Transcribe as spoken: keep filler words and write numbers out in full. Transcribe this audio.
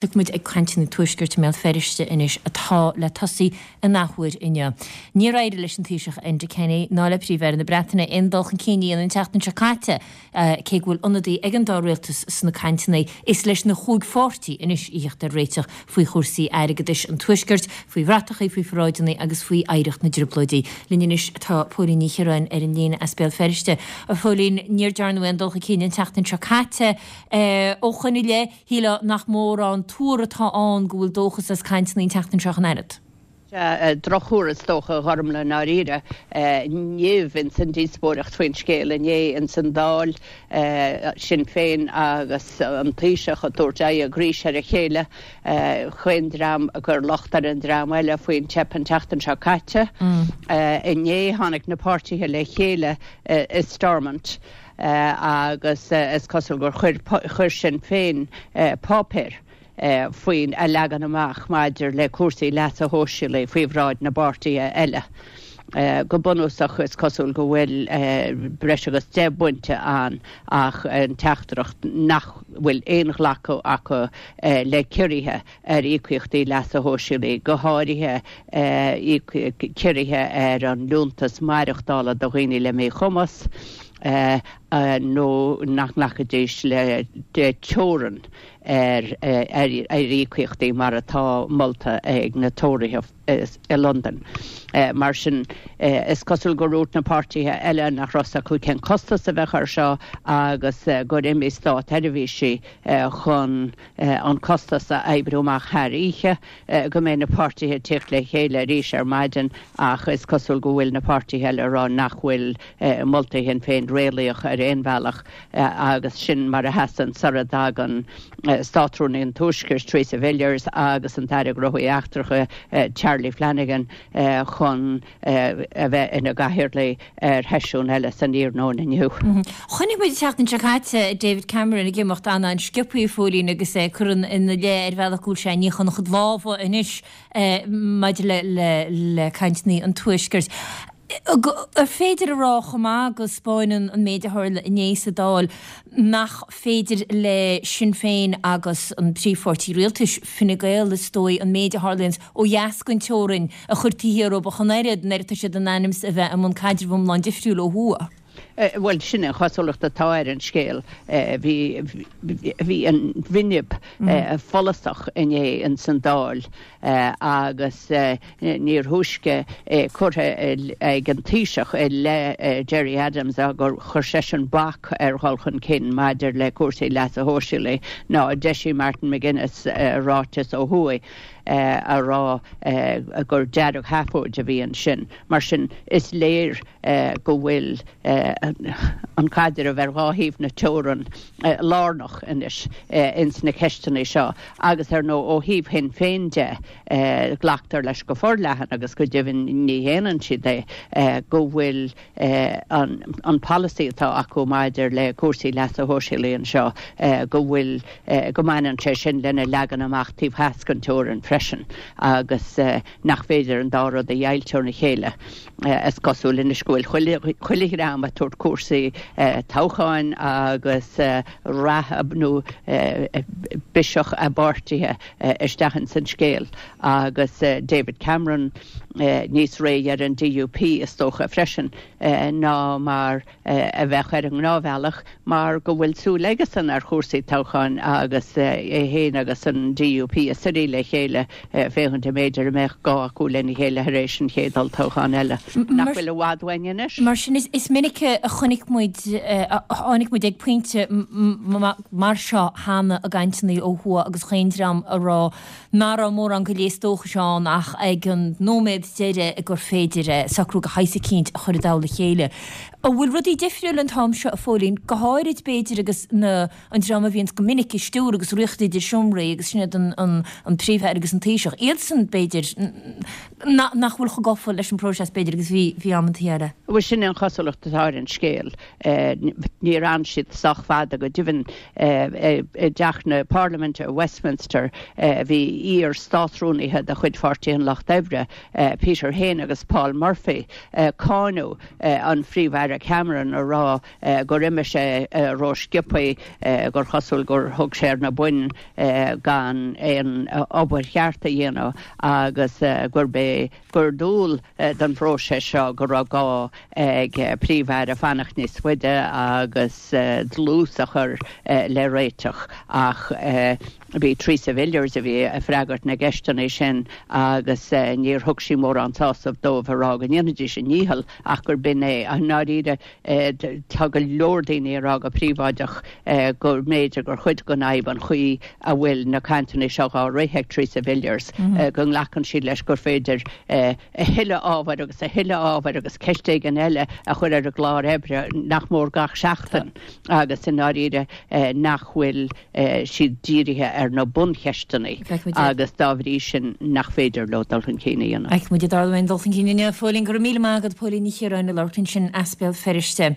Tá muid ag cainteanna Tuaiscirt i mBéal Feirste anois atá le tosaí an athuair inniu. Níor éirigh leis an Taoiseach Enda Kenny ná le Príomh-Aire na Breataine aon dul chun cinn a dhéanamh an tseachtain seo caite, cé go bhfuil ionadaí ag an dá rialtas sna cainteanna. Is leis na chúig pháirtí anois a theacht ar réiteach faoi chúrsaí airgeadais an Tuaiscirt, faoi bhratachaí, faoi pharáideanna agus faoi oidhreacht na dTrioblóidí. Linn anois tá Póilín Ní Chiaráin ar an líne as Béal Feirste. A Phóilín, níor dearnadh aon dul chun cinn an tseachtain seo caite. Ó shoin i leith, shílfeá nach mórán tuar atá ann go bhfuil dóchas as cainteanna an tseachtain seo ach an oiread. Sea, drochthuar is dócha, a Ghormfhlaith, i ndáiríre. Nimh ins an díospóireacht faoin scéal inné ins an Dáil, Sinn Féin agus an Taoiseach ag tabhairt aghaidh a gcraois ar a chéile, chaon dream ag cur locht ar an dream eile faoin teip an tseachtain seo caite. Inné tháinig na páirtithe le chéile i Stormont. agus is cosúil gur chuir Sinn Féin páipéar faoin a leagan amach maidir le cúrsaí leasa shóisialaigh faoi bhráid na bpáirtithe eile. Go bunúsach is cosúil go bhfuil breis agus deich bpointe ann ach an teachtaireacht nach bhfuil aon ghlacadh acu le ciorruithe ar íocaíochtaí leasa shóisialaigh, go háirithe ciorruithe ar an liúntas maireachtála do dhaoine le míchumas. nó nach nglacfaidís le teorainn ar íocaíochtaí mar atá molta ag na Tóraithe i Londain. Mar sin, is cosúil gur dhúirt na páirtithe eile nach raibh fhios acu cén costas a bheadh air seo agus gur imigh státsheirbhísigh chun an costas a oibriú amach thar oíche, go mbeidh na páirtithe ag tíocht le chéile arís ar maidin ach is cosúil go bhfuil na páirtithe eile ag rá nach bhfuil moltaí Shinn Féin réalaíoch ar aon bhealach agus sin mar a sheasann sara dtagann Státrúnaí an Tuaiscirt Theresa Villiers agus an tAire Gnóthaí Eachtracha Charlie Flanagan chun a bheith ina gcathaoirligh ar sheisiún eile san iarnóin inniu. Chonaic muid an tseachtain seo caite David Cameron ag imeacht an-an-sciobtha, a Phóilín, agus é ag cur ina leith ar bhealach go bhfuil sé ag níochán a chuid lámha anois maidir le cainteanna an Tuaiscirt. Ar féidir a rá chomh maith go 'spáineann an méid a tharla inné sa Dáil nach féidir le Sinn Féin agus an príomhpháirtí rialtais, Fine Gael is dóigh, an méid a tharlaíonns ó dheas den teorainn a chur taobh thiar dóibh ach an oiread, an oiread tá siad in ainm is a bheith i mbun caidreamh iomlán difriúil ó thuaidh? Bhuel, sin an chosúlacht atá ar an scéal. Bhí bhí an bhinb follasach inné ins an Dáil agus níor thúisce é curtha ag an Taoiseach i leith Gerry Adams gur chuir seisean bac ar dhul chun cinn maidir le cúrsaí leasa shóisialaigh ná d'eisigh Martin McGuinness ráiteas ó thuaidh a rá gur deargsheafóid a bhí ansin. Mar sin, is léir go bhfuil an caidreamh ar dhá thaobh na teorann lárnach anois ins na ceisteanna seo agus ar ndóigh ó thaobh Shinn Féin de glactar leis go forleathan agus go deimhin ní shéanann siad é go bhfuil an polasaí atá acu maidir le cúrsaí leasa shóisialaigh anseo go bhfuil go mbaineann sé sin lena leagan amach taobh theas den teorainn freisin agus nach féidir an dá rud a dheighilt óna chéile. Is cosúil anois go bhfuil chuile dhream ag tabhairt cúrsaí toghcháin agus rath nó biseach a bpáirtithe isteach ins an scéal agus David Cameron níos réidhe ar an D U P is dócha freisin ná mar a bheadh ar an ngnáthbhealach mar go bhfuil súil aigesan ar chúrsaí toghcháin agus é féin agus an D U P ag suirí le chéile féachaint an mb'fhéidir a mbeadh gá acu lena chéile tar éis an chéad olltoghchán eile, nach bhfuil i bhfad uainn anois. Mar sin, is minic a chonaic muid, a tháinig muid ag pointe mar seo cheana i gcainteanna ó thuaidh agus chaon dream a rá nach raibh mórán gléas dóchais ann ach ag an nóiméad deiridh gur féidir socrú de shaghas eicínt a chur i dtoll a chéile. An bhfuil rudaí difriúil an t-am seo, a Phóilín, go háirid b'fhéidir agus na an dream a bhíonns go minic ag stiúradh agus ag ritheacht idir seomraí agus sin iad an an an Príomh-Aire agus an Taoiseach, iadsan b'fhéidir nach bhfuil chomh gafa leis an bpróiseas b'fhéidir agus bhí bhí amantaí eile. Bhuel sin an chosúlacht atá ar an scéal. Níor fhan siad sách fada go deimhin i dTeach na Parlaiminte i Westminster bhí iar-státrúnaithe de chuid Pháirtí an Lucht Oibre, Peter Hain agus Paul Murphy, ag cáineadh an Phríomh-Aire Cameron ag rá gur imigh sé rósciobtha, gur chosúil gur thug sé ar na boinn gan aon obair cheart a dhéanamh agus gurb é gur dual don phróiseas seo go raibh gá ag Príomh-Aire fanacht níos faide agus dlús a chur le réiteach ach bhí Theresa Villiers a bhí ag freagairt na gceisteanna sin agus níor thug sí mórán sásaimh dóibh ag rá go ndéanfaidís a ndícheall ach gur b'in é. I ndáiríre tá go leor daoine ag rá go príobháideach go mb'fhéidir gur chuid den fhadhb an chaoi a bhfuil na cainteanna seo á rith ag Theresa Villiers, go nglacann siad leis gur féidir a thuilleadh ábhair agus a thuilleadh ábhair agus ceist éigin eile a chur ar an gclár oibre nach mór gach seachtain agus i ndáiríre nach bhfuil siad dírithe ar na buncheisteanna agus dá bhrí sin nach féidir leo dul chun cinn a dhéanamh. Feicfidh muid an dtarlóidh aon dul chun cinn inniu. A Phóilín, go raibh míle maith agat, Póilín Ní Chiaráin ag labhairt ansin as Béal Feirste.